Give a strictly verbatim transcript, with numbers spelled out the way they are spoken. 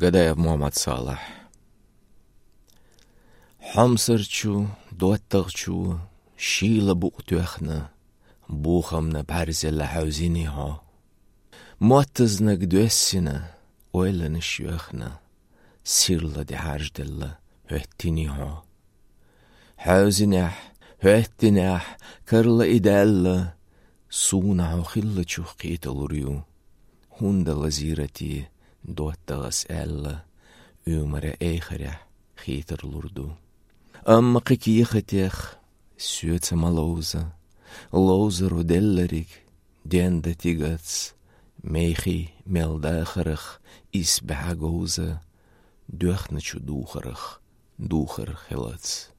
Гадаев Мухьаммад-Салахь. Хьомсарчо, доттагӀчо шийла букъ тоьхна, бохамна бӀарзелла хьаьвзиний хьо. Моттазнаг доьссина, ойланаш йоьхна, сирла дӀахьажаделла хӀоьттиний хьо. Хьаьвзинехь, хӀоьттинехь, карла и даьлла, суна хьо хиллачух кхеталур ю. ХӀунда лазийра те доттагӀас аьлла, уьмара эхарехь хетар лур ду. Амма кхы кехатех соьца ма ловза, ловзаро деллариг денда тигац, мехий мел дахарах исбаьхьа говза, доьхначу духарах духар хилац.